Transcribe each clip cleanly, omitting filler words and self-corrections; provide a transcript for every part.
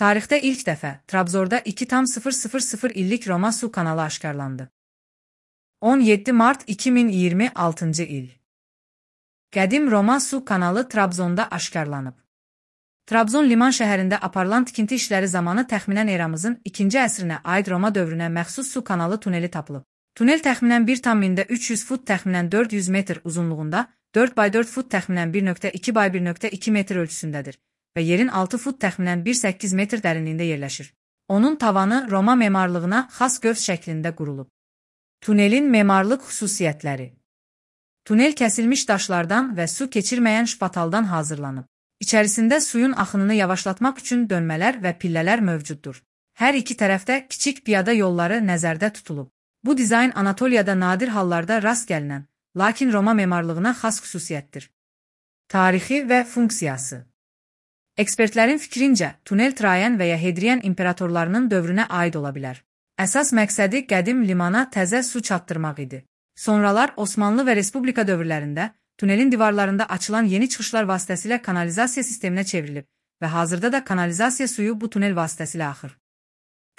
Tarixdə ilk dəfə Trabzonda 2,000 illik Roma su kanalı aşkarlandı. 17 mart 2026 il. Qədim Roma su kanalı Trabzonda aşkarlanıb. Trabzon liman şəhərində aparılan tikinti işləri zamanı təxminən eramızın 2-ci əsrinə aid Roma dövrünə məxsus su kanalı tuneli tapılıb. Tunel təxminən 1,300 fut təxminən 400 metr uzunluğunda, 4x4 fut təxminən 1,2x1,2 metr ölçüsündədir və yerin 6 fut təxminən 1,8 metr dərinliyində yerləşir. Onun tavanı Roma memarlığına xas gövs şəklində qurulub. Tunelin memarlıq xüsusiyyətləri. Tunel kəsilmiş daşlardan və su keçirməyən şpataldan hazırlanıb. İçərisində suyun axınını yavaşlatmaq üçün dönmələr və pillələr mövcuddur. Hər iki tərəfdə kiçik piyada yolları nəzərdə tutulub. Bu dizayn Anatoliyada nadir hallarda rast gəlinən, lakin Roma memarlığına xas xüsusiyyətdir. Tarixi və funksiyası. Ekspertlərin fikrincə, tunel Trayan və ya Hadrian imperatorlarının dövrünə aid ola bilər. Əsas məqsədi qədim limana təzə su çatdırmaq idi. Sonralar Osmanlı və Respublika dövrlərində tunelin divarlarında açılan yeni çıxışlar vasitəsilə kanalizasiya sisteminə çevrilib və hazırda da kanalizasiya suyu bu tunel vasitəsilə axır.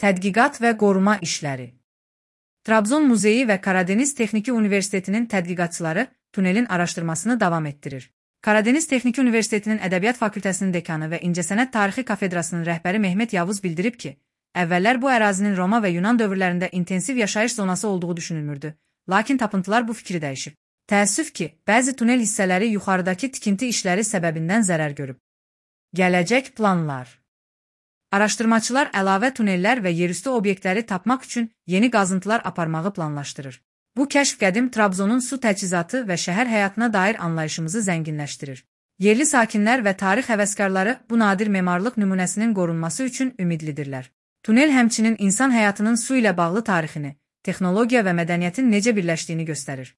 Tədqiqat və qoruma işləri. Trabzon Muzeyi və Karadeniz Texniki Universitetinin tədqiqatçıları tunelin araşdırmasını davam etdirir. Karadeniz Texniki Universitetinin Ədəbiyyat Fakültəsinin dekanı və İncəsənət Tarixi Kafedrasının rəhbəri Mehmet Yavuz bildirib ki, əvvəllər bu ərazinin Roma və Yunan dövrlərində intensiv yaşayış zonası olduğu düşünülmürdü, lakin tapıntılar bu fikri dəyişib. Təəssüf ki, bəzi tunel hissələri yuxarıdakı tikinti işləri səbəbindən zərər görüb. Gələcək planlar. Araşdırmaçılar əlavə tunellər və yerüstü obyektləri tapmaq üçün yeni qazıntılar aparmağı planlaşdırır. Bu kəşf qədim Trabzonun su təchizatı və şəhər həyatına dair anlayışımızı zənginləşdirir. Yerli sakinlər və tarix həvəskarları bu nadir memarlıq nümunəsinin qorunması üçün ümidlidirlər. Tunel həmçinin insan həyatının su ilə bağlı tarixini, texnologiya və mədəniyyətin necə birləşdiyini göstərir.